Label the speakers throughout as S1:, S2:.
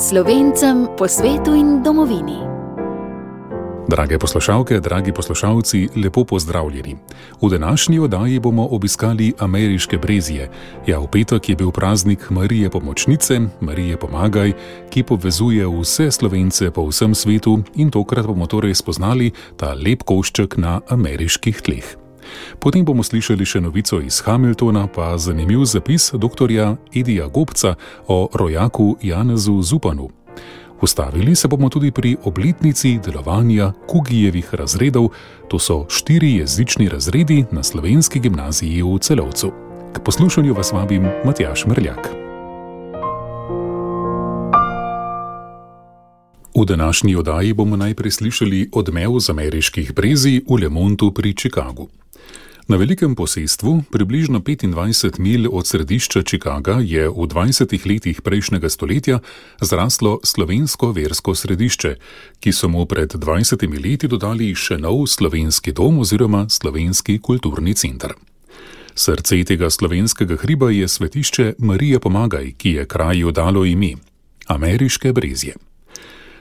S1: Slovencem po svetu in domovini.
S2: Drage poslušalke, dragi poslušalci, lepo pozdravljeni. V današnji oddaji bomo obiskali ameriške Brezije. Ja, v petek je bil praznik Marije Pomočnice, Marije Pomagaj, ki povezuje vse Slovence po vsem svetu in tokrat bomo torej spoznali ta lep košček na ameriških tleh. Potem bomo slišali še novico iz Hamiltona, pa zanimiv zapis doktorja Edija Gobca o rojaku Janezu Zupanu. Ustavili se bomo tudi pri obletnici delovanja Kugijevih razredov, to so 4 jezični razredi na slovenski gimnaziji v Celovcu. K poslušanju vas vabim Matjaž Merljak. V današnji oddaji bomo najprej slišali odmev z ameriških Brezij v Lemontu pri Chicagu. Na velikem posestvu, približno 25 milj od središča Chicaga, je v 20 letih prejšnjega stoletja zraslo slovensko versko središče, ki so mu pred 20 leti dodali še nov slovenski dom oziroma slovenski kulturni center. Srce tega slovenskega hriba je svetišče Marije Pomagaj, ki je kraju dalo ime ameriške Brezije.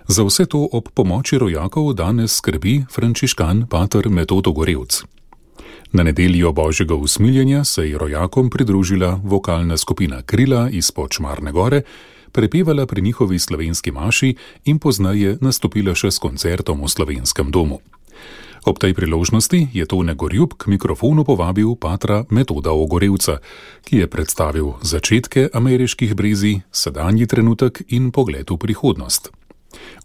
S2: Za vse to ob pomoči rojakov danes skrbi frančiškan pater Metodo Gorevc. Na nedeljo Božjega usmiljenja se je rojakom pridružila vokalna skupina Krila izpod Šmarne gore, prepevala pri njihovi slovenski maši in pozneje nastopila še s koncertom v slovenskem domu. Ob tej priložnosti je Tone Gorjub k mikrofonu povabil patra Metoda Ogorevca, ki je predstavil začetke ameriških Brezij, sedanji trenutek in pogled v prihodnost.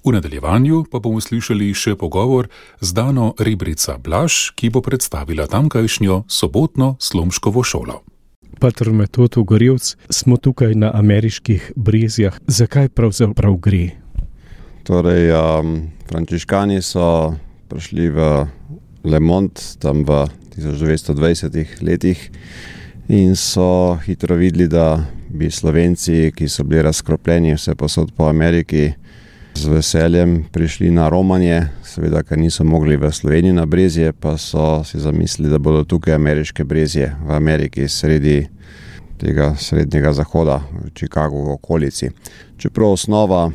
S2: V nadaljevanju pa bomo slišali še pogovor z Dano Rebrica Blaž, ki bo predstavila tamkajšnjo sobotno Slomškovo šolo.
S3: Pater Metod Ogorevc, smo tukaj na ameriških Brezijah. Zakaj pravzaprav gre?
S4: Torej, frančiškani so prišli v Lemont tam v 1920 letih in so hitro videli, da bi Slovenci, ki so bili razkropljeni vse posod po Ameriki, z veseljem prišli na romanje, seveda, ker niso mogli v Sloveniji na Brezije, pa so si zamislili, da bodo tukaj ameriške Brezije v Ameriki sredi tega srednjega zahoda, v Chicagu v okolici. Čeprav osnova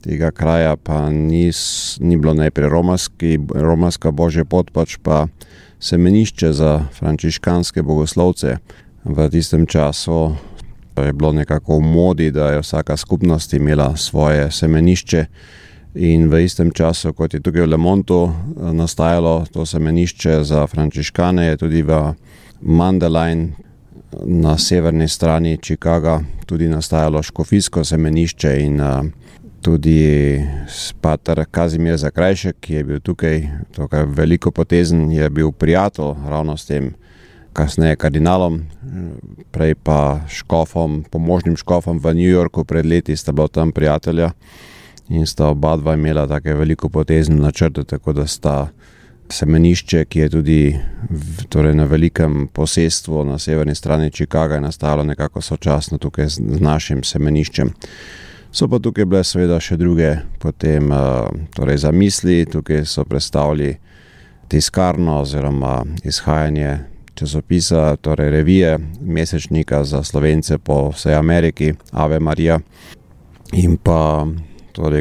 S4: tega kraja pa ni bilo najprej romarska božja pot, pač pa semenišče za frančiškanske bogoslovce. V tistem času je bilo nekako v modi, da je vsaka skupnost imela svoje semenišče in v istem času, kot je tukaj v Lemontu nastajalo to semenišče za frančiškane, je tudi v Mundelein na severni strani Chicaga tudi nastajalo škofijsko semenišče in tudi pater Kazimir Zakrajšek, ki je bil tukaj veliko potezen, je bil prijatelj ravno s tem kasneje kardinalom, prej pa škofom, pomožnim škofom v New Yorku pred leti sta bila tam prijatelja in sta oba dva imela take veliko potezne načrte, tako da sta semenišče, ki je tudi na velikem posestvu na severni strani Chicaga nastalo nekako sočasno tukaj z našim semeniščem. So pa tukaj bile seveda še druge potem zamisli, tukaj so predstavili tiskarno oziroma izhajanje časopisa, torej revije, mesečnika za Slovence po vsej Ameriki, Ave Maria. In pa,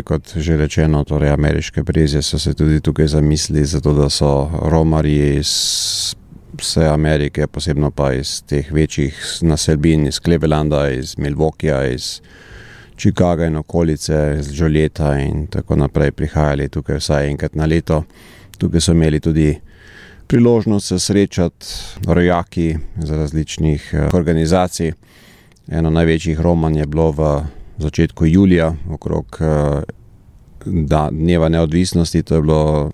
S4: kot že rečeno, ameriške Brezije so se tudi tukaj zamislili, zato da so romarji iz vse Amerike, posebno pa iz teh večjih naselbin, iz Clevelanda, iz Milwaukeeja, iz Chicaga in okolice, iz Jolieta in tako naprej prihajali tukaj vsaj enkrat na leto. Tukaj so imeli tudi priložnost se srečati rojaki z različnih organizacij. Eno največjih romanj je bilo v začetku julija, okrog dneva neodvisnosti, to je bilo,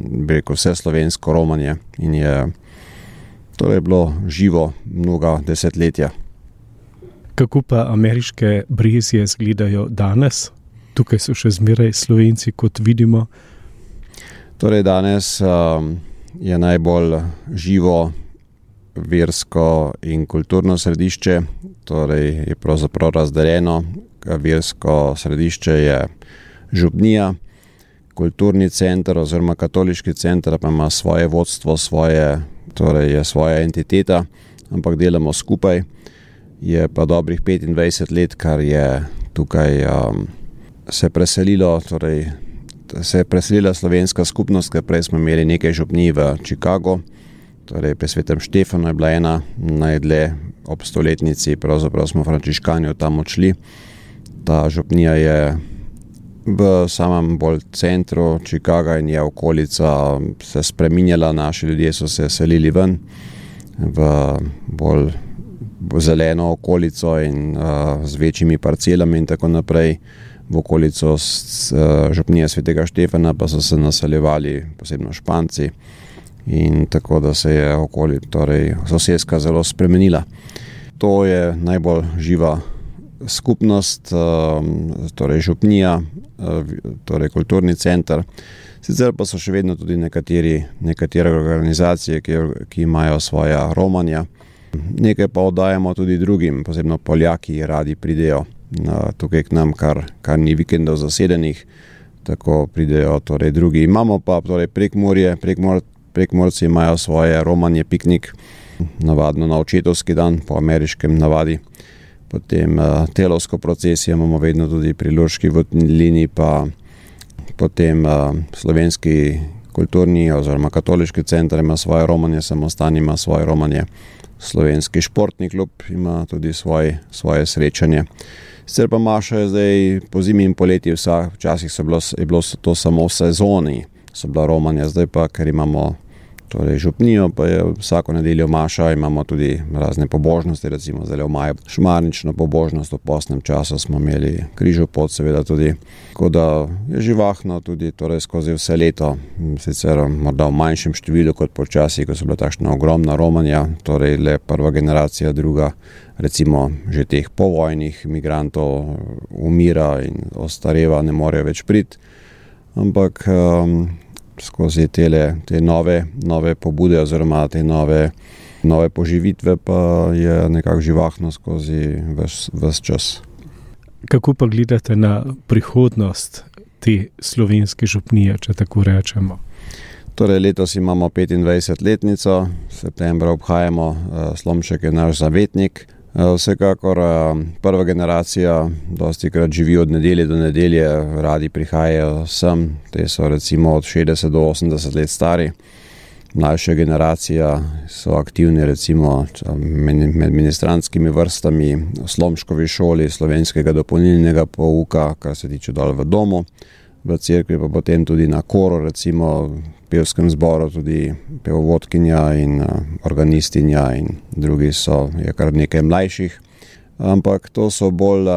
S4: vse slovensko romanje in je bilo živo mnoga desetletja.
S3: Kako pa ameriške Brezije izgledajo danes? Tukaj so še zmeraj Slovenci, kot vidimo.
S4: Danes je najbolj živo versko in kulturno središče, je pravzaprav razdeljeno. Versko središče je župnija, kulturni center oziroma katoliški center pa ima svoje vodstvo, je svoja entiteta, ampak delamo skupaj. Je pa dobrih 25 let, kar je tukaj se je preselila slovenska skupnost, ker prej smo imeli nekaj župnij v Chicagu, torej pri Svetem Štefanu je bila ena najdlje ob 100-letnici, pravzaprav smo frančiškani od tam odšli. Ta župnija je v samem bolj centru Chicaga in je okolica se spreminjala, naši ljudje so se selili ven v bolj zeleno okolico in z večjimi parcelami in tako naprej. V okolico župnije Svetega Štefana pa so se naseljevali posebno Španci in tako da se je torej soseska zelo spremenila. To je najbolj živa skupnost, torej župnija, torej kulturni center. Sicer pa so še vedno tudi nekatere organizacije, ki imajo svoja romanja. Nekaj pa oddajamo tudi drugim, posebno Poljaki radi pridejo tukaj k nam, kar ni vikendov zasedenih, tako pridejo torej drugi. Imamo pa torej Prekmurje, Prekmurci imajo svoje romanje piknik, navadno na očetovski dan, po ameriškem navadi. Potem telovsko procesijo imamo vedno tudi pri Lurški votlini, pa potem slovenski kulturni oziroma katoliški center ima svoje romanje, Samostan ima svoje romanje, slovenski športni klub ima tudi svoje srečanje. Sicer pa maša je zdaj po zimi in poleti, včasih je bilo to samo v sezoni, so bila romanja, zdaj pa, ker imamo torej župnijo, pa je vsako nedeljo maša, imamo tudi razne pobožnosti, recimo zdaj v maju šmarnično pobožnost, v postnem času smo imeli križov pot, seveda tudi, tako da je živahno tudi torej skozi vse leto, sicer morda v manjšem številu kot počasi, ko so bila takšna ogromna romanja, torej le prva generacija, druga, recimo že teh povojnih migrantov umira in ostareva, ne morejo več priti, ampak skozi te nove pobude oziroma te nove poživitve pa je nekako živahno skozi ves čas.
S3: Kako pa gledate na prihodnost te slovenske župnije, če tako rečemo?
S4: Torej letos imamo 25-letnico, septembra obhajamo, Slomšek je naš zavetnik. Vsekakor prva generacija dostikrat živi od nedelje do nedelje, radi prihajajo sem, te so recimo od 60 do 80 let stari. Mlajša generacija so aktivni recimo med ministrantskimi vrstami v Slomškovi šoli slovenskega dopolnilnega pouka, kar se tiče dol v domu, v cerkvi pa potem tudi na koru, recimo v pevskem zboru tudi pevovodkinja in organistinja in drugi je kar nekaj mlajših. Ampak to so bolj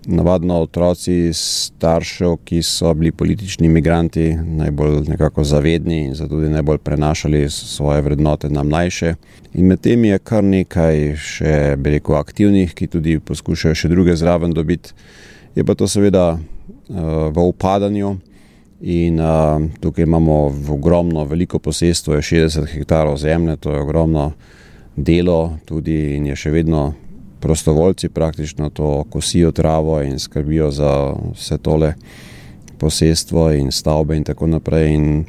S4: navadno otroci staršev, ki so bili politični migranti, najbolj nekako zavedni in zato tudi najbolj prenašali svoje vrednote na mlajše. In med tem je kar nekaj še, bi rekel, aktivnih, ki tudi poskušajo še druge zraven dobiti. Je pa to seveda v upadanju in tukaj imamo veliko posestvo, je 60 hektarov zemlje, to je ogromno delo tudi in je še vedno prostovoljci praktično to kosijo travo in skrbijo za vse tole posestvo in stavbe in tako naprej in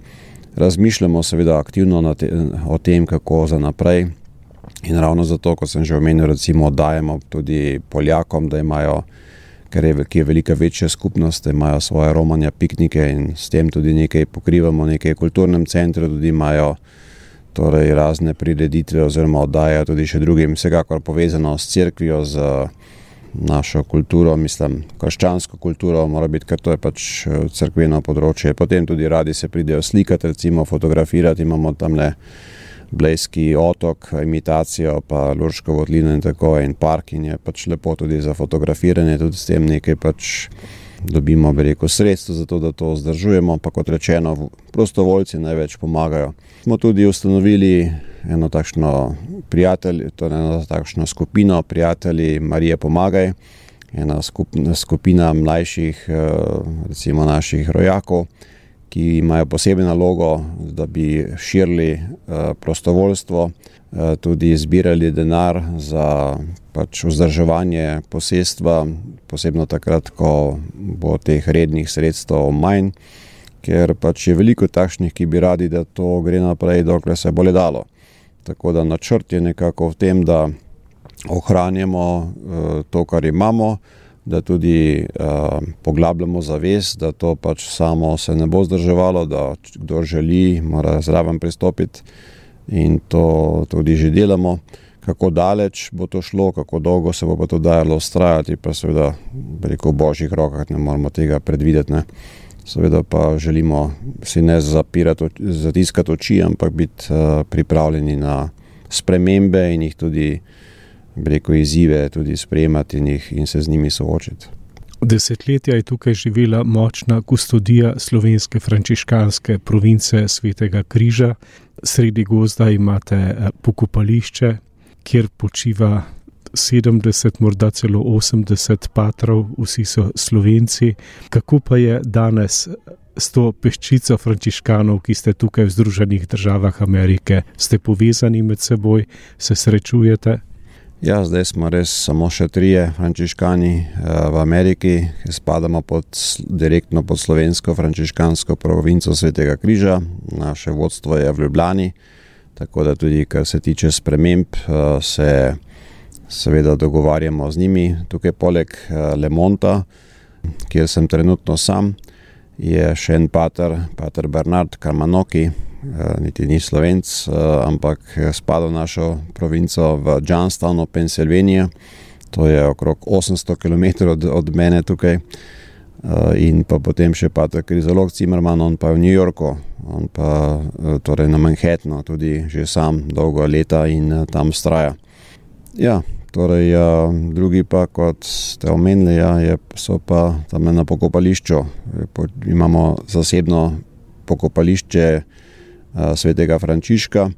S4: razmišljamo seveda aktivno o tem, kako za naprej in ravno zato, kot sem že omenil, recimo dajemo tudi Poljakom, da imajo, ki je velika večja skupnost, da imajo svoje romanja, piknike in s tem tudi nekaj pokrivamo, nekaj kulturnem centru tudi imajo torej razne prireditve oziroma oddajajo tudi še drugim, vsekakor povezano s cerkvijo, z našo kulturo, mislim, krščansko kulturo, mora biti, ker to je pač cerkveno področje. Potem tudi radi se pridejo slikati, recimo fotografirati, imamo tamle Blejski otok, imitacijo, pa Lurško votlino in tako in park in je pač lepo tudi za fotografiranje, tudi s tem nekaj pač dobimo, bi rekel, sredstvo za to, da to vzdržujemo, pa kot rečeno, prostovoljci največ pomagajo. Smo tudi ustanovili eno takšno skupino prijatelji Marije Pomagaj, ena skupina mlajših, recimo naših rojakov, ki imajo posebno nalogo, da bi širili prostovoljstvo, tudi zbirali denar za pač vzdrževanje posestva, posebno takrat, ko bo teh rednih sredstev manj, ker pač je veliko takšnih, ki bi radi, da to gre naprej, dokler se bo le dalo. Tako da načrt je nekako v tem, da ohranjamo to, kar imamo, da tudi poglabljamo zavest, da to pač samo se ne bo zdrževalo, da kdo želi, mora zraven pristopiti in to tudi že delamo. Kako daleč bo to šlo, kako dolgo se bo pa to dajalo vztrajati, pa seveda v božjih rokah ne moramo tega predvideti, ne. Seveda pa želimo si ne zatiskati oči, ampak biti pripravljeni na spremembe in jih tudi, izzive tudi sprejemati in se z njimi soočiti.
S3: Desetletja je tukaj živela močna kustodija slovenske frančiškanske province Svetega križa. Sredi gozda imate pokopališče, kjer počiva 70, morda celo 80 patrov, vsi so Slovenci. Kako pa je danes s to peščico frančiškanov, ki ste tukaj v Združenih državah Amerike? Ste povezani med seboj, se srečujete?
S4: Ja, zdaj smo res samo še 3 frančiškani v Ameriki, ki spadamo direktno pod slovensko frančiškansko provinco Svetega križa. Naše vodstvo je v Ljubljani, tako da tudi, kar se tiče sprememb, se seveda dogovarjamo z njimi. Tukaj poleg Lemonta, kjer sem trenutno sam, je še en pater Bernard Karmanoki, niti ni Slovenc, ampak spada v našo provinco v Johnstownu, Pennsylvania. To je okrog 800 km od mene tukaj. In pa potem še pater Krizolog Zimmerman, on pa je v New Yorku, on pa torej na Manhattanu, tudi že sam dolgo leta in tam vztraja. Ja, torej drugi pa, kot ste omenili, so pa tam na pokopališču. Imamo zasebno pokopališče Svetega Frančiška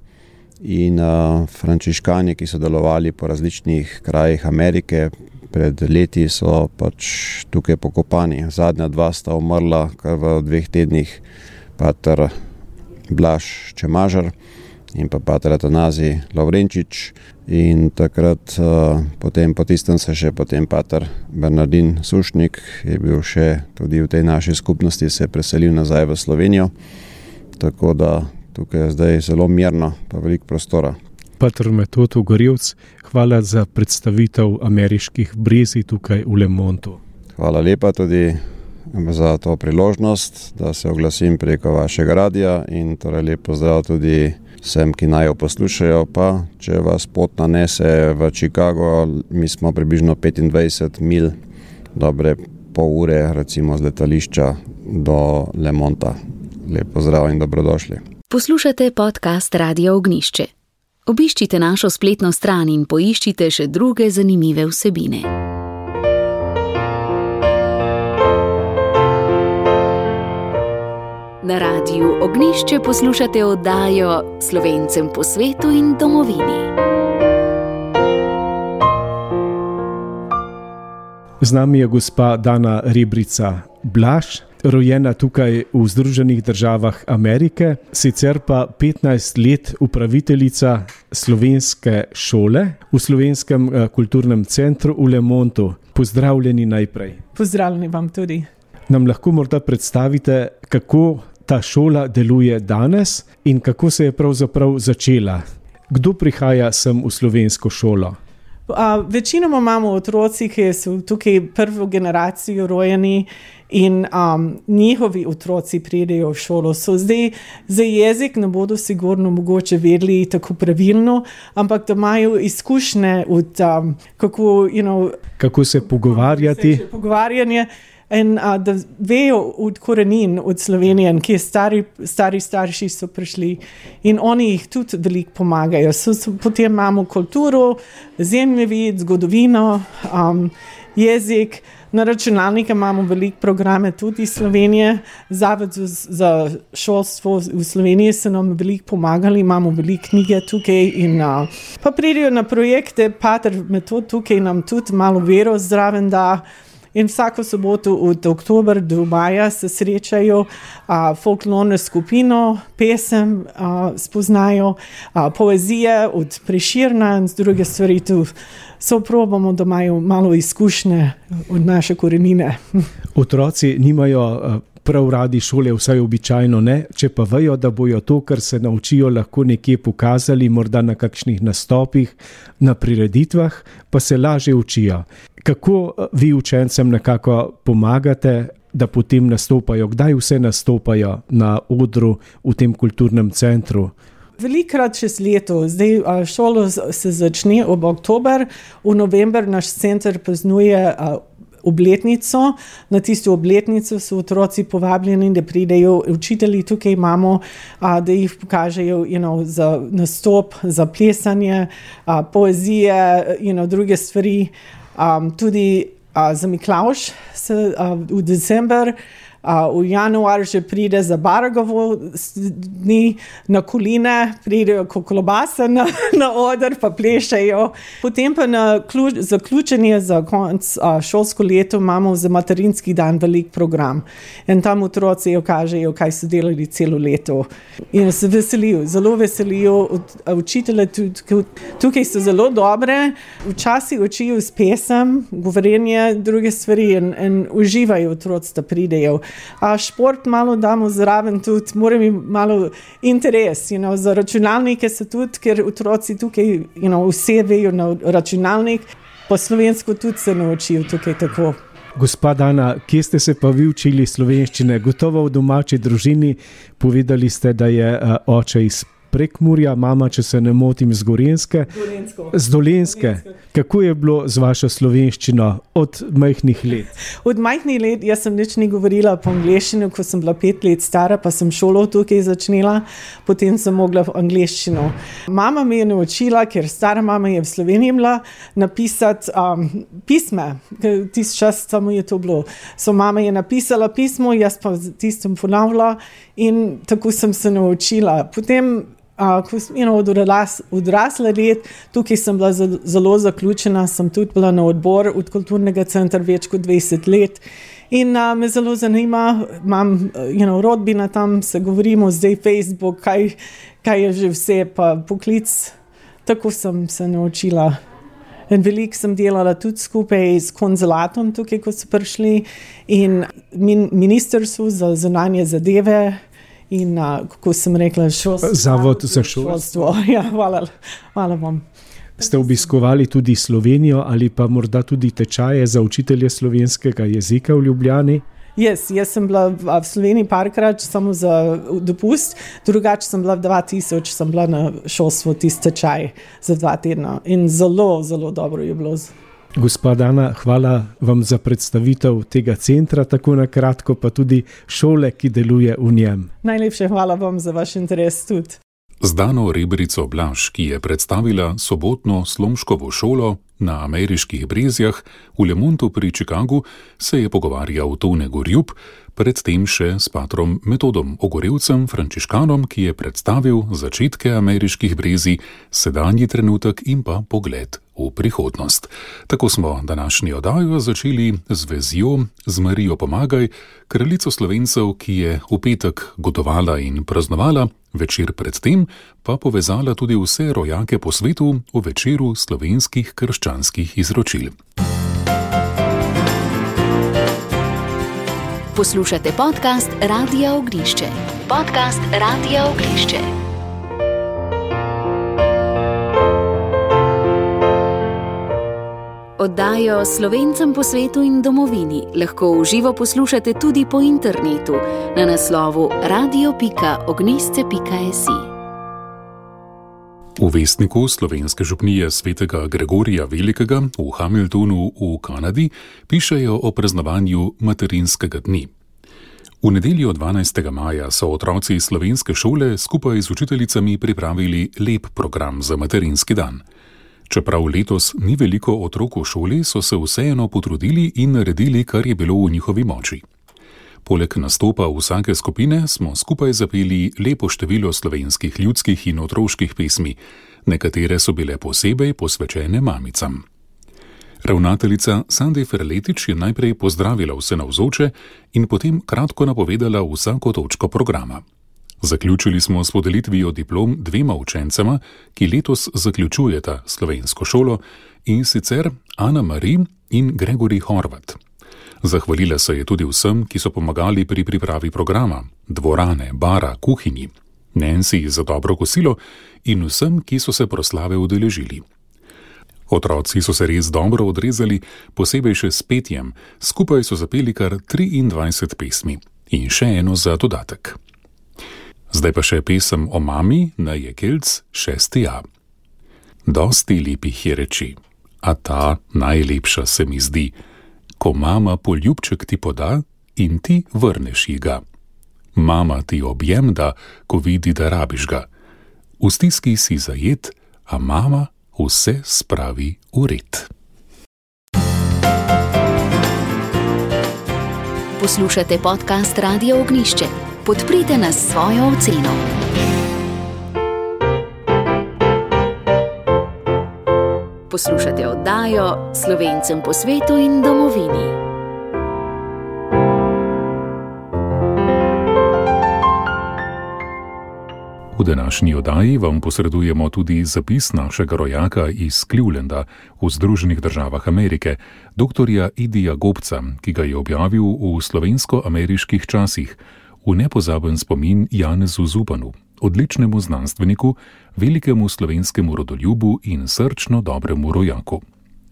S4: in frančiškani, ki so delovali po različnih krajih Amerike, pred leti so pač tukaj pokopani. Zadnja 2 sta umrla kar v 2 tednih, pater Blaž Čemažar in pa pater Atanazij Lovrenčič. In takrat potem po tistem se še potem pater Bernardin Sušnik je bil še tudi v tej naši skupnosti, se je preselil nazaj v Slovenijo. Tako da tukaj je zdaj zelo mirno, pa veliko prostora.
S3: Pater Metod Ugorjevc, hvala za predstavitev ameriških brezij tukaj v Lemontu.
S4: Hvala lepa tudi za to priložnost, da se oglasim preko vašega radia in torej lep pozdrav tudi vsem, ki naj jo poslušajo, pa če vas pot nanese v Chicago, mi smo približno 25 mil, dobre pol ure recimo z letališča do Lemonta. Lep pozdrav in dobrodošli.
S1: Poslušate podcast Radia Ognjišče. Obiščite našo spletno stran in poiščite še druge zanimive vsebine. Na Radiu Ognjišče poslušate oddajo Slovencem po svetu in domovini.
S3: Z nami je gospa Dana Rebrica Blaž, rojena tukaj v Združenih državah Amerike, sicer pa 15 let upraviteljica slovenske šole v Slovenskem kulturnem centru v Lemontu. Pozdravljeni najprej.
S5: Pozdravljeni vam tudi.
S3: Nam lahko morda predstavite, kako ta šola deluje danes in kako se je pravzaprav začela? Kdo prihaja sem v slovensko šolo?
S5: Večinoma imamo otroci, ki so tukaj prvo generacijo rojeni in njihovi otroci pridejo v šolo. Zdaj za jezik ne bodo sigurno mogoče vedeli tako pravilno, ampak da imajo izkušnje od
S3: kako se pogovarjati.
S5: Pogovarjanje. In da vejo od korenin, od Slovenije, kje stari starši so prišli in oni jih tudi veliko pomagajo. Potem imamo kulturo, zemljevid, zgodovino, jezik. Na računalniku imamo veliko programe tudi iz Slovenije. Zavod za šolstvo v Sloveniji so nam veliko pomagali, imamo veliko knjige tukaj in pa pridejo na projekte, pater Metod tukaj nam tudi malo vero zraven da. In vsako soboto od oktobra do maja se srečajo, folklorno skupino, pesem spoznajo, poezije od Prešerna in z druge stvari tu. Probamo, da imajo malo izkušnje od naše korenine.
S3: Otroci nimajo prav radi šole, vsaj običajno ne, če pa vejo, da bojo to, kar se naučijo, lahko nekje pokazali, morda na kakšnih nastopih, na prireditvah, pa se lažje učijo. Kako vi učencem nekako pomagate, da potem nastopajo? Kdaj vse nastopajo na odru v tem kulturnem centru?
S5: Velikrat čez leto. Zdaj šolo se začne ob oktober, v november naš center praznuje obletnico. Na tisto obletnico so otroci povabljeni, da pridejo učitelji, tukaj imamo, da jih pokažejo za nastop, za plesanje, poezije, druge stvari. Tudi za Miklavž v december, v januar že pride za Baragovo dni na Koline, pridejo kolobase na oder, pa plešejo. Potem pa na zaključenje za konc šolsko leto imamo za materinski dan velik program. In tam otroci kažejo, kaj so delali celo leto. In se veselijo, zelo veselijo. Učitelje tukaj so zelo dobre, včasih učijo s pesem, govorenje, druge stvari in uživajo otroci, da pridejo. Šport malo damo zraven tudi, mora mi malo interes, za računalnike se tudi, ker otroci tukaj, vse vejo na računalnik, po slovensko tudi se naučijo tukaj tako.
S3: Gospa Dana, kje ste se pa vi učili slovenščine? Gotovo v domači družini, povedali ste, da je oče iz Prekmurja, mama, če se ne motim, z Gorenjske. Z Dolenjske. Kako je bilo z vašo slovenščino od majhnih let?
S5: Od majhnih let, jaz sem nič ni govorila po angleščini, ko sem bila 5 let stara, pa sem šolo tukaj začnila, potem sem mogla v angleščino. Mama me je naučila, ker stara mama je v Sloveniji bila, napisati pisme. Tist čas samo je to bilo. Mama je napisala pismo, jaz pa tistem ponavljala in tako sem se naučila. Potem od odrasle let, tukaj sem bila zelo zaključena, sem tudi bila na odbor od kulturnega centra več kot 20 let in me zelo zanima, imam rodbina tam, se govorimo zdaj Facebook, kaj je že vse, pa poklic, tako sem se naučila. In veliko sem delala tudi skupaj s konzulatom tukaj, ko so prišli in ministrstvu za zunanje zadeve. In, kako sem rekla,
S3: Zavod za šolstvo.
S5: Ja, hvala vam.
S3: Ste obiskovali tudi Slovenijo ali pa morda tudi tečaje za učitelje slovenskega jezika v Ljubljani?
S5: Jaz sem bila v Sloveniji parkrat, samo za dopust, drugače sem bila 2000, sem bila na šolstvu tisti tečaj za 2 tedna in zelo, zelo dobro je bilo.
S3: Gospa Dana, hvala vam za predstavitev tega centra, tako na kratko, pa tudi šole, ki deluje v njem.
S5: Najlepše hvala vam za vaš interes tudi.
S2: Z Dano Rebrico Blaž, ki je predstavila sobotno Slomškovo šolo na Ameriških Brezjah v Lemontu pri Chicagu, se je pogovarjal Tone Gorjup, predtem še s patrom Metodom Ogorevcem, frančiškanom, ki je predstavil začetke Ameriških Brezij, sedanji trenutek in pa pogled v prihodnost. Tako smo današnjo oddajo začeli z vezijo z Marijo Pomagaj, kraljico Slovencev, ki je v petek gotovala in praznovala, večer predtem pa povezala tudi vse rojake po svetu v večeru slovenskih krščanskih izročil.
S1: Poslušate podcast Radia Ognišče. Podcast Radia Ognišče. Oddajo Slovencem po svetu in domovini lahko v živo poslušate tudi po internetu na naslovu radio.ognisce.si.
S2: V vestniku slovenske župnije svetega Gregorija Velikega v Hamiltonu v Kanadi pišejo o praznovanju materinskega dni. V nedeljo 12. maja so otroci slovenske šole skupaj z učiteljicami pripravili lep program za materinski dan. Čeprav letos ni veliko otrok v šoli, so se vseeno potrudili in naredili, kar je bilo v njihovi moči. Poleg nastopa vsake skupine smo skupaj zapeli lepo število slovenskih ljudskih in otroških pesmi, nekatere so bile posebej posvečene mamicam. Ravnateljica Sandi Ferletič je najprej pozdravila vse navzoče in potem kratko napovedala vsako točko programa. Zaključili smo s podelitvijo diplom 2 učencema, ki letos zaključujeta slovensko šolo, in sicer Ana Mari in Gregori Horvat. Zahvalila se je tudi vsem, ki so pomagali pri pripravi programa, dvorane, bara, kuhinji, Nancy za dobro kosilo in vsem, ki so se proslave udeležili. Otroci so se res dobro odrezali, posebej še s petjem, skupaj so zapeli kar 23 pesmi in še eno za dodatek. Zdaj pa še pesem o mami na Jekelc 6a. Dosti lepih je reči, a ta najlepša se mi zdi, ko mama poljubček ti poda in ti vrneš ji ga. Mama ti objem da, ko vidi, da rabiš ga. V stiski si zajet, a mama vse spravi v red.
S1: Poslušate podcast Radio Ognišče. Podprite nas s svojo oceno. Poslušate oddajo Slovencem po svetu in domovini.
S2: V današnji oddaji vam posredujemo tudi zapis našega rojaka iz Clevelanda v Združenih državah Amerike, doktorja Idija Gobca, ki ga je objavil v slovensko-ameriških časih, v nepozaben spomin Janezu Zupanu, odličnemu znanstveniku, velikemu slovenskemu rodoljubu in srčno dobremu rojaku.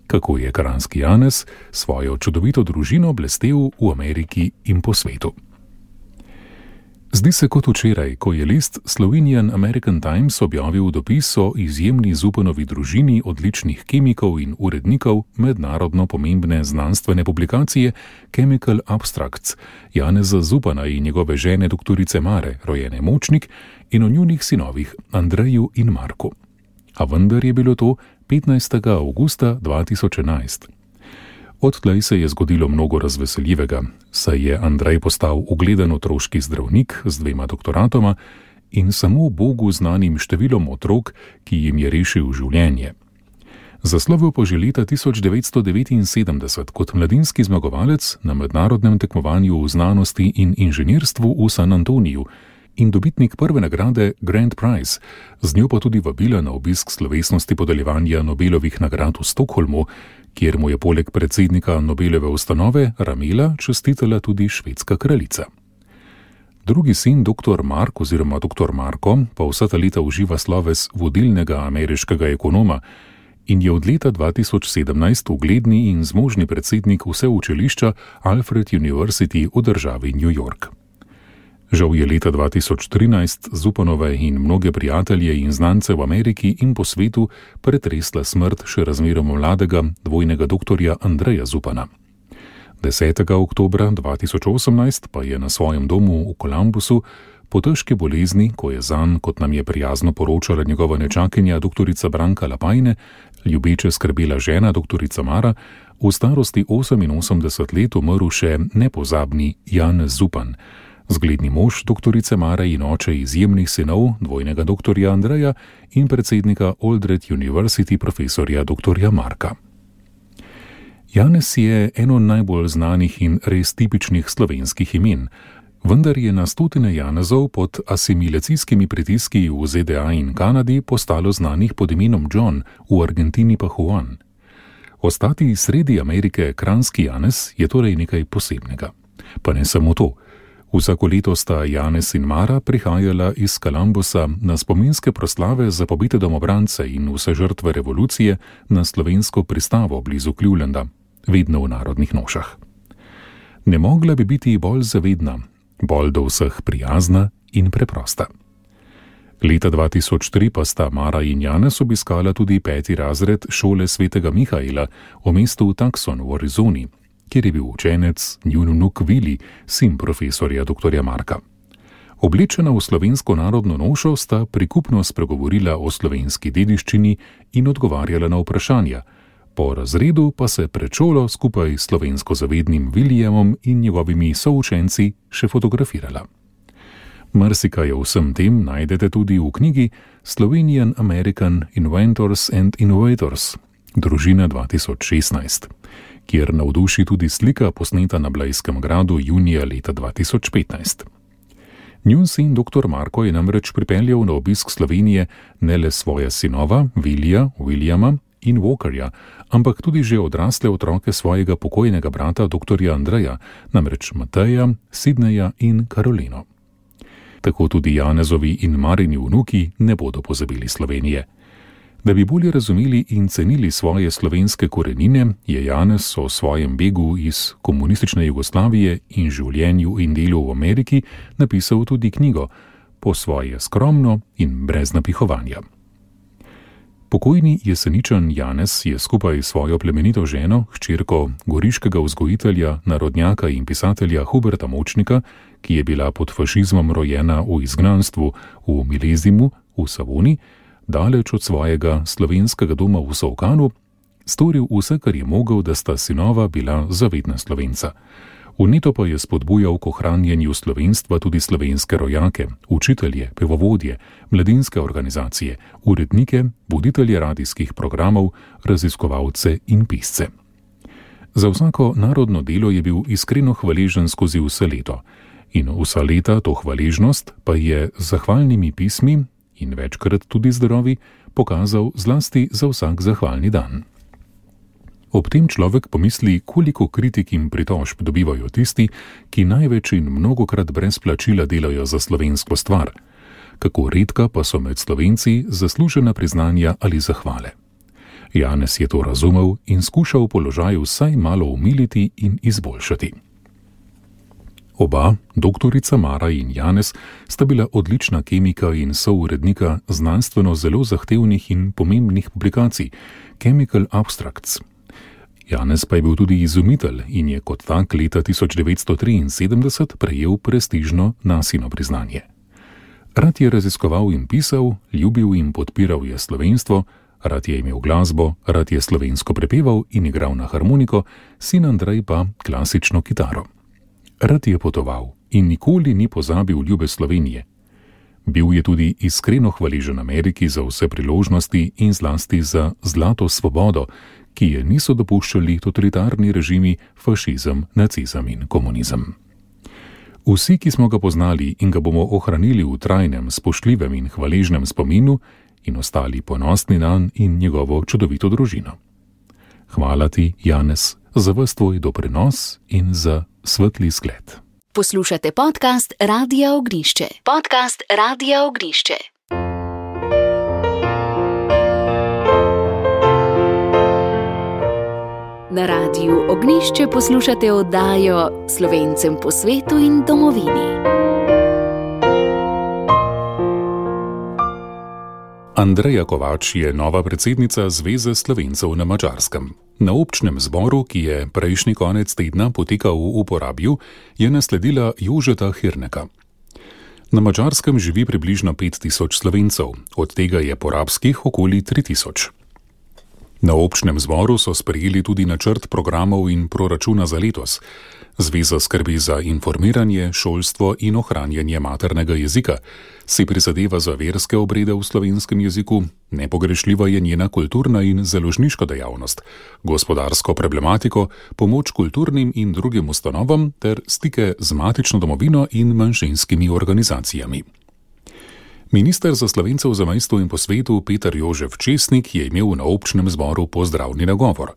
S2: Kako je kranjski Janez svojo čudovito družino blestel v Ameriki in po svetu. Zdi se kot včeraj, ko je list Slovenian American Times objavil dopis o izjemni Zupanovi družini odličnih kemikov in urednikov mednarodno pomembne znanstvene publikacije Chemical Abstracts Janeza Zupana in njegove žene doktorice Mare, rojene Močnik, in o njunih sinovih Andreju in Marku. A vendar je bilo to 15. avgusta 2011. Odtlej se je zgodilo mnogo razveseljivega, saj je Andrej postal ugleden otroški zdravnik z 2 doktoratoma in samo Bogu znanim številom otrok, ki jim je rešil življenje. Zaslovil pa že leta 1979 kot mladinski zmagovalec na mednarodnem tekmovanju v znanosti in inženirstvu v San Antoniju in dobitnik prve nagrade Grand Prize, z njo pa tudi vabila na obisk slovesnosti podeljevanja Nobelovih nagrad v Stockholmu, kjer mu je poleg predsednika Nobelove ustanove Ramela čestitala tudi švedska kraljica. Drugi sin dr. Mark oziroma dr. Marko pa vsa ta leta uživa sloves vodilnega ameriškega ekonoma in je od leta 2017 ugledni in zmožni predsednik vseučilišča Alfred University v državi New York. Žal je leta 2013 Zupanove in mnoge prijatelje in znance v Ameriki in po svetu pretresla smrt še razmeroma mladega dvojnega doktorja Andreja Zupana. 10. oktobra 2018 pa je na svojem domu v Columbusu po težki bolezni, ko je zanj, kot nam je prijazno poročala njegova nečakinja doktorica Branka Lapajne, ljubeče skrbela žena doktorica Mara, v starosti 88 let umrl še nepozabni Janez Zupan, zgledni mož doktorice Mare in oče izjemnih sinov, dvojnega doktorja Andreja in predsednika Aldred University profesorja doktorja Marka. Janez je eno najbolj znanih in res tipičnih slovenskih imen, vendar je na stotine Janezov pod asimilacijskimi pritiski v ZDA in Kanadi postalo znanih pod imenom John, v Argentini pa Juan. Ostati sredi Amerike kranjski Janez je torej nekaj posebnega. Pa ne samo to. Vsako leto sta Janez in Mara prihajala iz Columbusa na spominske proslave za pobite domobrance in vse žrtve revolucije na slovensko pristavo blizu Clevelanda, vedno v narodnih nošah. Ne mogla bi biti bolj zavedna, bolj do vseh prijazna in preprosta. Leta 2003 pa sta Mara in Janez obiskala tudi 5. razred šole svetega Mihaela v mestu Tucson v Arizoni, kjer je bil učenec njun vnuk Vili, sin profesorja doktorja Marka. Oblečena v slovensko narodno nošo sta prikupno spregovorila o slovenski dediščini in odgovarjala na vprašanja, po razredu pa se pred šolo skupaj s slovensko zavednim Vilijemom in njegovimi součenci še fotografirala. Marsikaj o vsem tem najdete tudi v knjigi Slovenian American Inventors and Innovators, družina 2016. Kjer navduši tudi slika posneta na Blejskem gradu junija leta 2015. Njun sin dr. Marko je namreč pripeljal na obisk Slovenije ne le svoja sinova, Vilijama in Walkerja, ampak tudi že odrasle otroke svojega pokojnega brata dr. Andreja, namreč Mateja, Sidneja in Karolino. Tako tudi Janezovi in Marini vnuki ne bodo pozabili Slovenije. Da bi bolje razumeli in cenili svoje slovenske korenine, je Janez o svojem begu iz komunistične Jugoslavije in življenju in delu v Ameriki napisal tudi knjigo, po svoje skromno in brez napihovanja. Pokojni Jeseničan Janez je skupaj s svojo plemenito ženo, hčerko goriškega vzgojitelja, narodnjaka in pisatelja Huberta Močnika, ki je bila pod fašizmom rojena v izgnanstvu v Milezimu v Savoni, daleč od svojega slovenskega doma v Solkanu, storil vse, kar je mogel, da sta sinova bila zavedna Slovenca. Vneto pa je spodbujal k ohranjanju slovenstva tudi slovenske rojake, učitelje, pevovodje, mladinske organizacije, urednike, voditelje radijskih programov, raziskovalce in pisce. Za vsako narodno delo je bil iskreno hvaležen skozi vse leto in vsa leta to hvaležnost pa je z zahvalnimi pismi in večkrat tudi zdravi pokazal zlasti za vsak zahvalni dan. Ob tem človek pomisli, koliko kritik in pritožb dobivajo tisti, ki največ in mnogokrat brez plačila delajo za slovensko stvar. Kako redka pa so med Slovenci zaslužena priznanja ali zahvale. Janez je to razumel in skušal položaj vsaj malo umiliti in izboljšati. Oba, doktorica Mara in Janez, sta bila odlična kemika in sourednika znanstveno zelo zahtevnih in pomembnih publikacij Chemical Abstracts. Janez pa je bil tudi izumitelj in je kot tak leta 1973 prejel prestižno Nasino priznanje. Rad je raziskoval in pisal, ljubil in podpiral je slovenstvo, rad je imel glasbo, rad je slovensko prepeval in igral na harmoniko, sin Andrej pa klasično kitaro. Rad je potoval in nikoli ni pozabil ljube Slovenije. Bil je tudi iskreno hvaležen Ameriki za vse priložnosti in zlasti za zlato svobodo, ki je niso dopuščali totalitarni režimi, fašizem, nacizem in komunizem. Vsi, ki smo ga poznali in ga bomo ohranili v trajnem, spoštljivem in hvaležnem spominu in ostali ponosni nanj in njegovo čudovito družino. Hvala ti, Janez, za ves tvoj doprinos in za svetli zgled.
S1: Poslušate podcast Radia Ognišče. Podcast Radia Ognišče. Na Radiu Ognišče poslušate oddajo Slovencem po svetu in domovini.
S2: Andreja Kovač je nova predsednica Zveze Slovencev na Madžarskem. Na občnem zboru, ki je prejšnji konec tedna potekal v Porabju, je nasledila Jožeta Hirneka. Na Madžarskem živi približno 5000 Slovencev, od tega je porabskih okoli 3000. Na občnem zboru so sprejeli tudi načrt programov in proračuna za letos. Zveza skrbi za informiranje, šolstvo in ohranjanje maternega jezika, si prizadeva za verske obrede v slovenskem jeziku, nepogrešljiva je njena kulturna in založniška dejavnost, gospodarsko problematiko, pomoč kulturnim in drugim ustanovam ter stike z matično domovino in manjšinskimi organizacijami. Minister za Slovence v zamejstvu in po svetu Peter Jožef Česnik je imel na občnem zboru pozdravni nagovor.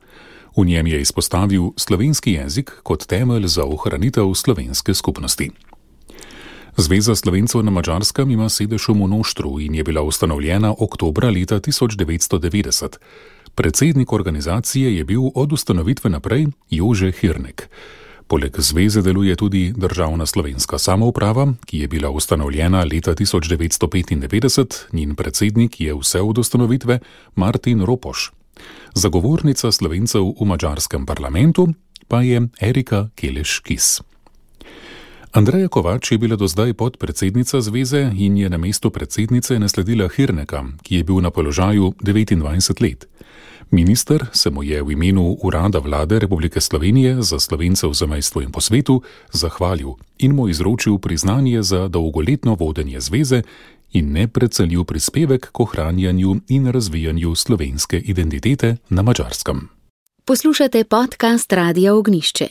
S2: V njem je izpostavil slovenski jezik kot temelj za ohranitev slovenske skupnosti. Zveza Slovencev na Madžarskem ima sedež v Monoštru in je bila ustanovljena oktobra leta 1990. Predsednik organizacije je bil od ustanovitve naprej Jože Hirnek. Poleg zveze deluje tudi Državna slovenska samouprava, ki je bila ustanovljena leta 1995, njen predsednik je vse od ustanovitve Martin Ropoš. Zagovornica Slovencev v madžarskem parlamentu pa je Erika Keleš-Kis. Andreja Kovač je bila do zdaj podpredsednica zveze in je na mesto predsednice nasledila Hirneka, ki je bil na položaju 29 let. Minister se mu je v imenu Urada Vlade Republike Slovenije za Slovence v zamejstvu in po svetu zahvalil in mu izročil priznanje za dolgoletno vodenje zveze in neprecenljiv prispevek k ohranjanju in razvijanju slovenske identitete na Madžarskem.
S1: Poslušate podcast Radia Ognišče.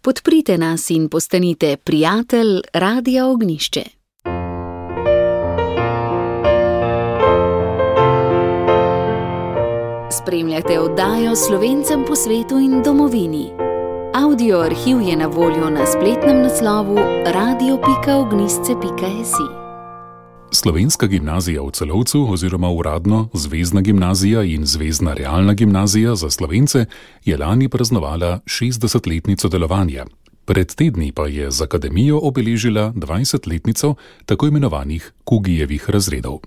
S1: Podprite nas in postanite prijatelj Radia Ognišče. S spremljate oddajo Slovencem po svetu in domovini. Audio arhiv je na voljo na spletnem naslovu radio.ognisce.si.
S2: Slovenska gimnazija v Celovcu oziroma uradno Zvezna gimnazija in Zvezna realna gimnazija za Slovence je lani praznovala 60-letnico delovanja. Pred tedni pa je z akademijo obeležila 20-letnico tako imenovanih Kugijevih razredov.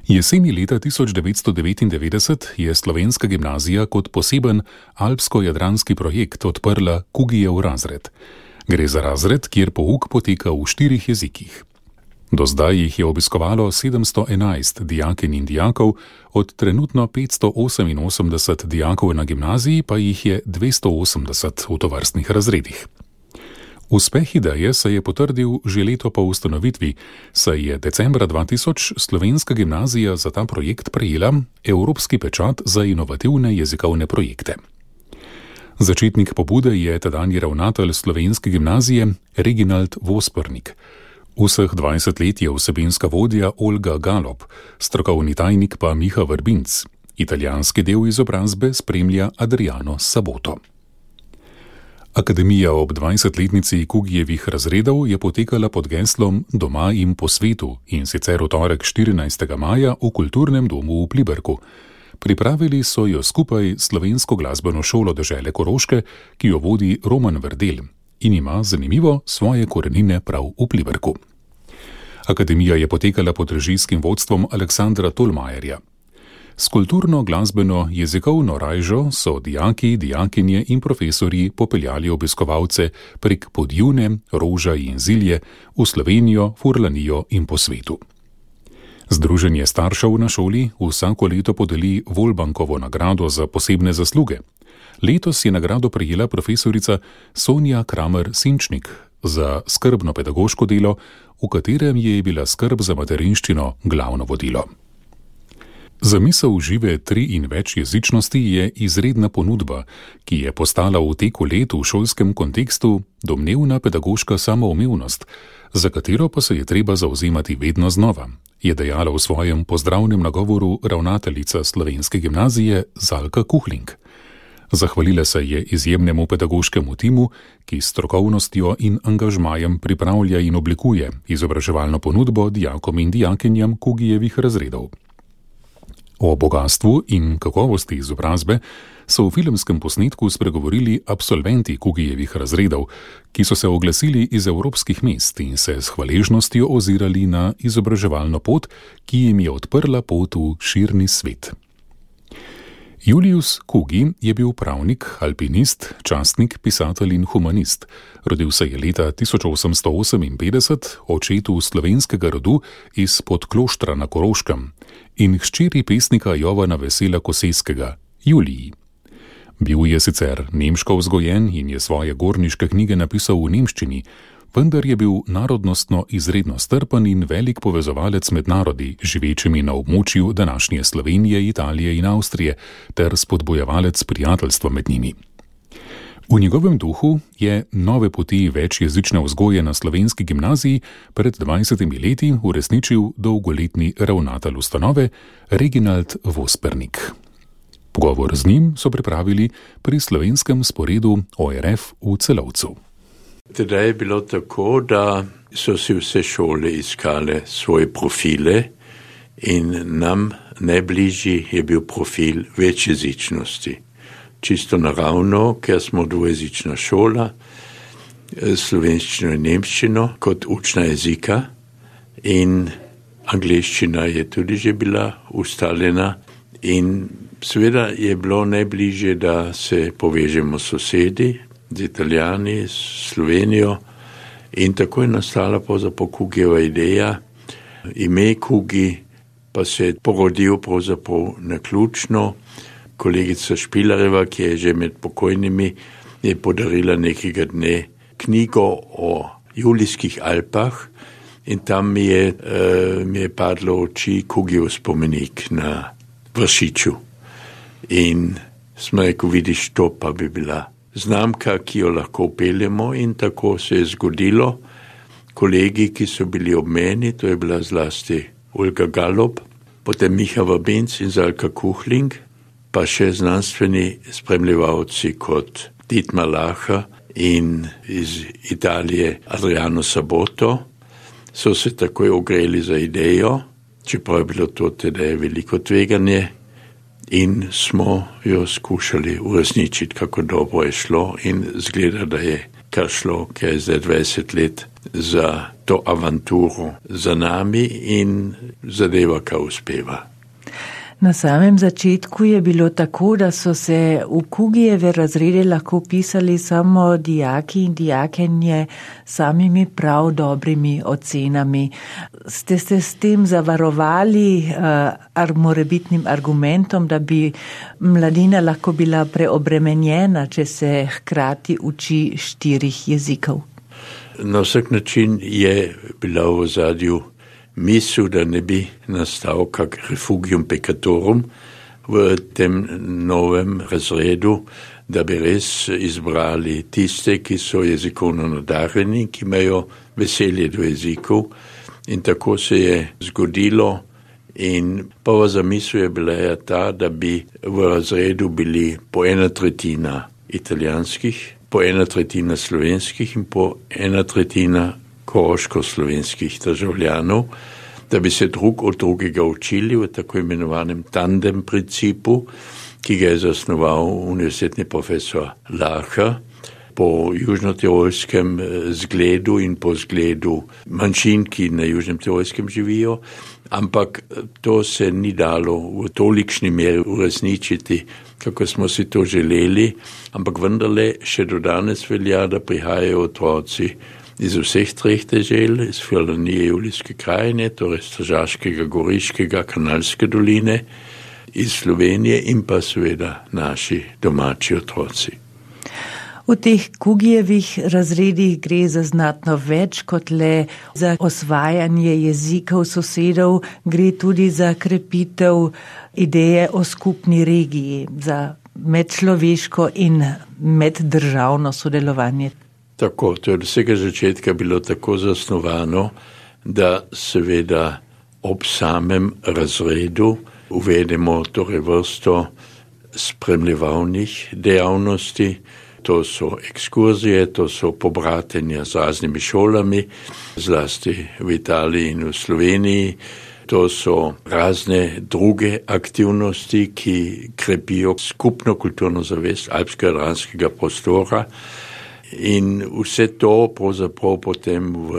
S2: Jeseni leta 1999 je Slovenska gimnazija kot poseben alpsko-jadranski projekt odprla Kugijev razred. Gre za razred, kjer pouk poteka v 4 jezikih. Do zdaj jih je obiskovalo 711 dijakinj in dijakov, od trenutno 588 dijakov na gimnaziji pa jih je 280 v tovrstnih razredih. Uspeh ideje se je potrdil že leto po ustanovitvi, saj je decembra 2000 Slovenska gimnazija za ta projekt prejela Evropski pečat za inovativne jezikovne projekte. Začetnik pobude je tedanji ravnatelj Slovenske gimnazije Reginald Vospernik. Vseh 20 let je vsebinska vodja Olga Galop, strokovni tajnik pa Miha Vrbinc. Italijanski del izobrazbe spremlja Adriano Saboto. Akademija ob 20-letnici Kugijevih razredov je potekala pod geslom Doma in po svetu in sicer v torek 14. maja v Kulturnem domu v Pliberku. Pripravili so jo skupaj s Slovensko glasbeno šolo dežele Koroške, ki jo vodi Roman Verdel in ima zanimivo svoje korenine prav v Pliberku. Akademija je potekala pod režijskim vodstvom Aleksandra Tolmajerja. S kulturno, glasbeno, jezikovno rajžo so dijaki, dijakinje in profesorji popeljali obiskovalce prek Podjune, Roža in Zilje v Slovenijo, Furlanijo in po svetu. Združenje staršev na šoli vsako leto podeli Volbankovo nagrado za posebne zasluge. Letos je nagrado prejela profesorica Sonja Kramer-Sinčnik za skrbno pedagoško delo, v katerem je bila skrb za materinščino glavno vodilo. Zamisel žive 3 in več jezičnosti je izredna ponudba, ki je postala v teku let v šolskem kontekstu domnevna pedagoška samoumevnost, za katero pa se je treba zavzemati vedno znova, je dejala v svojem pozdravnem nagovoru ravnateljica Slovenske gimnazije Zalka Kuhling. Zahvalila se je izjemnemu pedagoškemu timu, ki s strokovnostjo in angažmajem pripravlja in oblikuje izobraževalno ponudbo dijakom in dijakinjam Kugijevih razredov. O bogastvu in kakovosti izobrazbe so v filmskem posnetku spregovorili absolventi Kugijevih razredov, ki so se oglasili iz evropskih mest in se s hvaležnostjo ozirali na izobraževalno pot, ki jim je odprla pot v širni svet. Julius Kugi je bil pravnik, alpinist, častnik, pisatelj in humanist. Rodil se je leta 1858 očetu slovenskega rodu iz Podkloštra na Koroškem in hčeri pesnika Jovana Vesela Koseskega, Juliji. Bil je sicer nemško vzgojen in je svoje gorniške knjige napisal v nemščini, vendar je bil narodnostno izredno strpen in velik povezovalec med narodi, živečimi na območju današnje Slovenije, Italije in Avstrije, ter spodbojevalec prijateljstva med njimi. V njegovem duhu je nove poti večjezične vzgoje na Slovenski gimnaziji pred 20 leti uresničil dolgoletni ravnatelj ustanove Reginald Vospernik. Pogovor z njim so pripravili pri slovenskem sporedu ORF v Celovcu.
S6: Tedaj je bilo tako, da so si vse šole iskale svoje profile in nam najbližji je bil profil večjezičnosti. Čisto naravno, ker smo dvojezična šola, slovenščino in nemščino kot učna jezika in angleščina je tudi že bila ustaljena in seveda je bilo najbližje, da se povežemo s sosedi, z Italijani, s Slovenijo in tako je nastala pravzaprav Kugijeva ideja. Ime Kugi pa se je porodil pravzaprav naključno. Kolegica Špilareva, ki je že med pokojnimi, je podarila nekega dne knjigo o Julijskih Alpah in tam mi je padlo v oči Kugijev spomenik na Vršiču. In smo rekel, vidiš, to pa bi bila znamka, ki jo lahko upeljemo in tako se je zgodilo. Kolegi, ki so bili ob meni, to je bila zlasti Olga Galop, potem Miha Vrbinc in Zalka Kuhling, pa še znanstveni spremljevalci kot Dietmar Lacher in iz Italije Adriano Saboto so se takoj ogreli za idejo, čeprav je bilo to tedaj veliko tveganje, in smo jo skušali uresničiti, kako dobro je šlo, in zgleda, da je kar šlo, ker je zdaj 20 let za to avanturo za nami in zadeva, kar uspeva.
S7: Na samem začetku je bilo tako, da so se v Kugijeve razrede lahko pisali samo dijaki in dijakinje samimi prav dobrimi ocenami. Ste se s tem zavarovali morebitnim argumentom, da bi mladina lahko bila preobremenjena, če se hkrati uči 4 jezikov?
S6: Na vsak način je bila v ozadju misel, da ne bi nastal kak refugium peccatorum v tem novem razredu, da bi res izbrali tiste, ki so jezikovno nadarjeni, ki imajo veselje do jezikov, in tako se je zgodilo. In prva zamisel je bila ta, da bi v razredu bili po 1/3 italijanskih, po 1/3 slovenskih in po 1/3 koroško-slovenskih državljanov, da bi se drug od drugega učili v tako imenovanem tandem principu, ki ga je zasnoval univerzitetni profesor Lacher po južnotirolskem zgledu in po zgledu manjšin, ki na Južnem Tirolskem živijo, ampak to se ni dalo v tolikšni meri uresničiti, kako smo si to želeli, ampak vendarle še do danes velja, da prihajajo otroci iz vseh 3 dežel, iz Furlanije, Julijske krajine, torej Stražaškega, Goriškega, Kanalske doline, iz Slovenije in pa seveda naši domači otroci.
S7: V teh Kugijevih razredih gre za znatno več kot le za osvajanje jezikov sosedov, gre tudi za krepitev ideje o skupni regiji, za medčloveško in meddržavno sodelovanje.
S6: Tako, to je od vsega začetka bilo tako zasnovano, da seveda ob samem razredu uvedemo torej vrsto spremljevalnih dejavnosti. To so ekskurzije, to so pobratenja z raznimi šolami, zlasti v Italiji in v Sloveniji. To so razne druge aktivnosti, ki krepijo skupno kulturno zavest alpsko-jadranskega prostora. In vse to pravzaprav potem v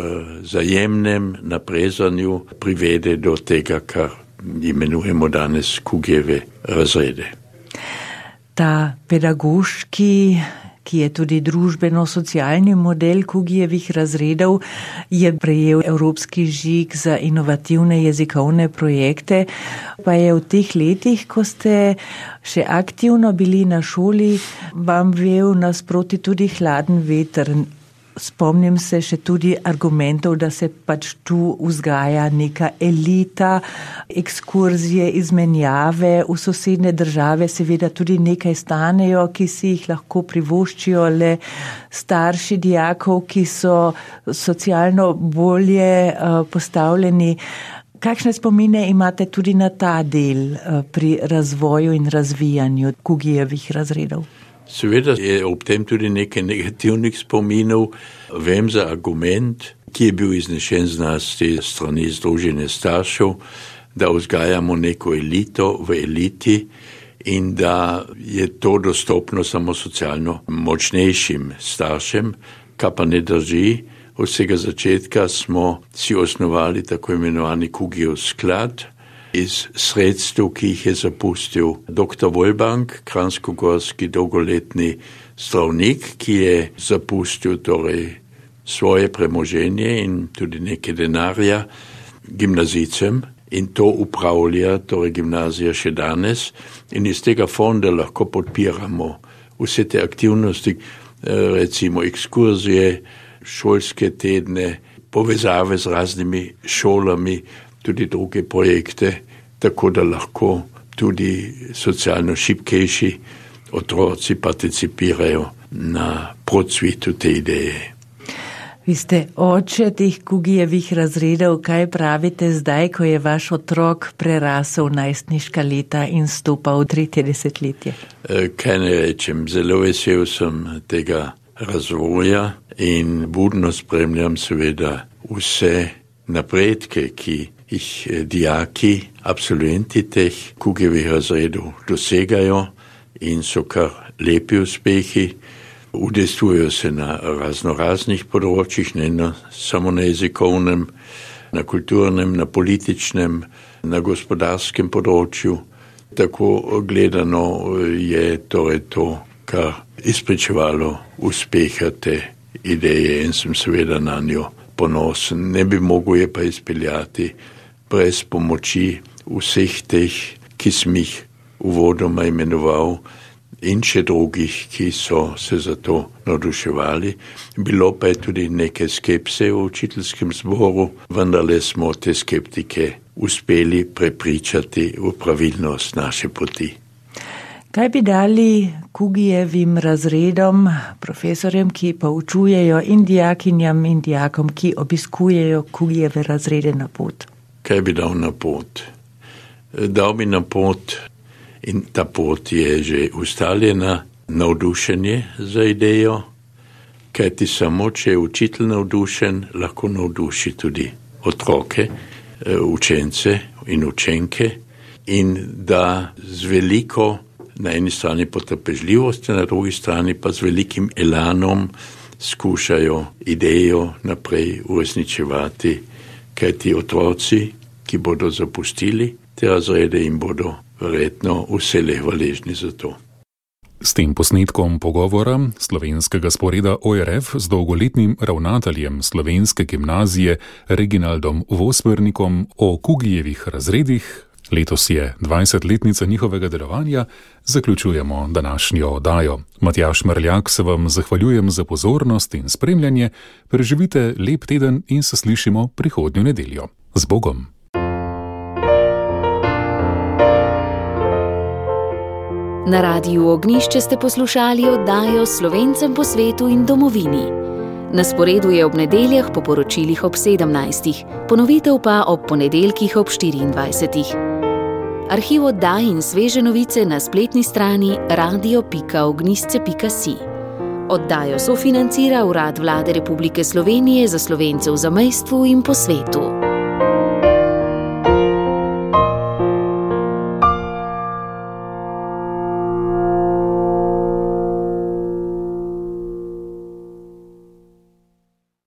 S6: zajemnem naprezanju privede do tega, kar imenujemo danes Kugijeve razrede.
S7: Ta pedagoški, ki je tudi družbeno-socialni model Kugijevih razredov, je prejel Evropski žig za inovativne jezikovne projekte, pa je v teh letih, ko ste še aktivno bili na šoli, vam vel nasproti tudi hladen veter. Spomnim se še tudi argumentov, da se pač tu vzgaja neka elita, ekskurzije, izmenjave v sosednje države, seveda tudi nekaj stanejo, ki si jih lahko privoščijo le starši dijakov, ki so socialno bolje postavljeni. Kakšne spomine imate tudi na ta del pri razvoju in razvijanju Kugijevih razredov?
S6: Seveda je ob tem tudi nekaj negativnih spominov. Vem za argument, ki je bil iznešen z nas te strani Združenja staršev, da vzgajamo neko elito v eliti in da je to dostopno samo socialno močnejšim staršem, kar pa ne drži. Od vsega začetka smo si osnovali tako imenovani Kugijev sklad, iz sredstev, ki jih je zapustil dr. Wolbank, kranjskogorski dolgoletni zdravnik, ki je zapustil torej svoje premoženje in tudi nekaj denarja gimnazijcem, in to upravlja torej gimnazija še danes, in iz tega fonda lahko podpiramo vse te aktivnosti, recimo ekskurzije, šolske tedne, povezave z raznimi šolami, tudi druge projekte, tako da lahko tudi socialno šibkejši otroci participirajo na procvitu te ideje.
S7: Vi ste oče teh Kugijevih razredov, kaj pravite zdaj, ko je vaš otrok prerasel najstniška leta in stopal v 3. desetletje?
S6: Kaj ne rečem, zelo vesel sem tega razvoja in budno spremljam seveda vse napredke, ki jih dijaki, absolventi teh Kugijevih razredov dosegajo in so kar lepi uspehi. Udejstvujejo se na raznoraznih področjih, ne samo na jezikovnem, na kulturnem, na političnem, na gospodarskem področju. Tako gledano je torej to, kar izpričevalo uspeha te ideje in sem seveda na njo ponosen. Ne bi mogel je pa izpeljati brez pomoči vseh teh, ki sem jih uvodoma imenoval, in še drugih, ki so se za to navduševali. Bilo pa je tudi nekaj skepse v učiteljskem zboru, vendarle smo te skeptike uspeli prepričati v pravilnost naše poti.
S7: Kaj bi dali Kugijevim razredom, profesorjem, ki poučujejo in dijakinjam in dijakom, ki obiskujejo Kugijeve razrede na pot?
S6: Kaj bi dal na pot? Dal bi na pot, in ta pot je že ustaljena, navdušenje za idejo, kajti samo, če je učitelj navdušen, lahko navduši tudi otroke, učence in učenke in da z veliko, na eni strani potrpežljivosti, na drugi strani pa z velikim elanom skušajo idejo naprej uresničevati, kajti otroci, ki bodo zapustili te razrede, in bodo verjetno vselej hvaležni za to.
S2: S tem posnetkom pogovora slovenskega sporeda ORF z dolgoletnim ravnateljem slovenske gimnazije Reginaldom Vospernikom o Kugijevih razredih, letos je 20-letnica njihovega delovanja, zaključujemo današnjo oddajo. Matjaž Mrljak se vam zahvaljujem za pozornost in spremljanje, preživite lep teden in se slišimo prihodnjo nedeljo. Z Bogom!
S1: Na Radiu Ognjišče ste poslušali oddajo Slovencem po svetu in domovini. Na sporedu je ob nedeljah po poročilih ob 17. Ponovitev pa ob ponedeljkih ob 24. Arhiv oddaj in sveže novice na spletni strani radio.ognjišče.si. Oddajo sofinancira Urad Vlade Republike Slovenije za Slovence v zamejstvu in po svetu.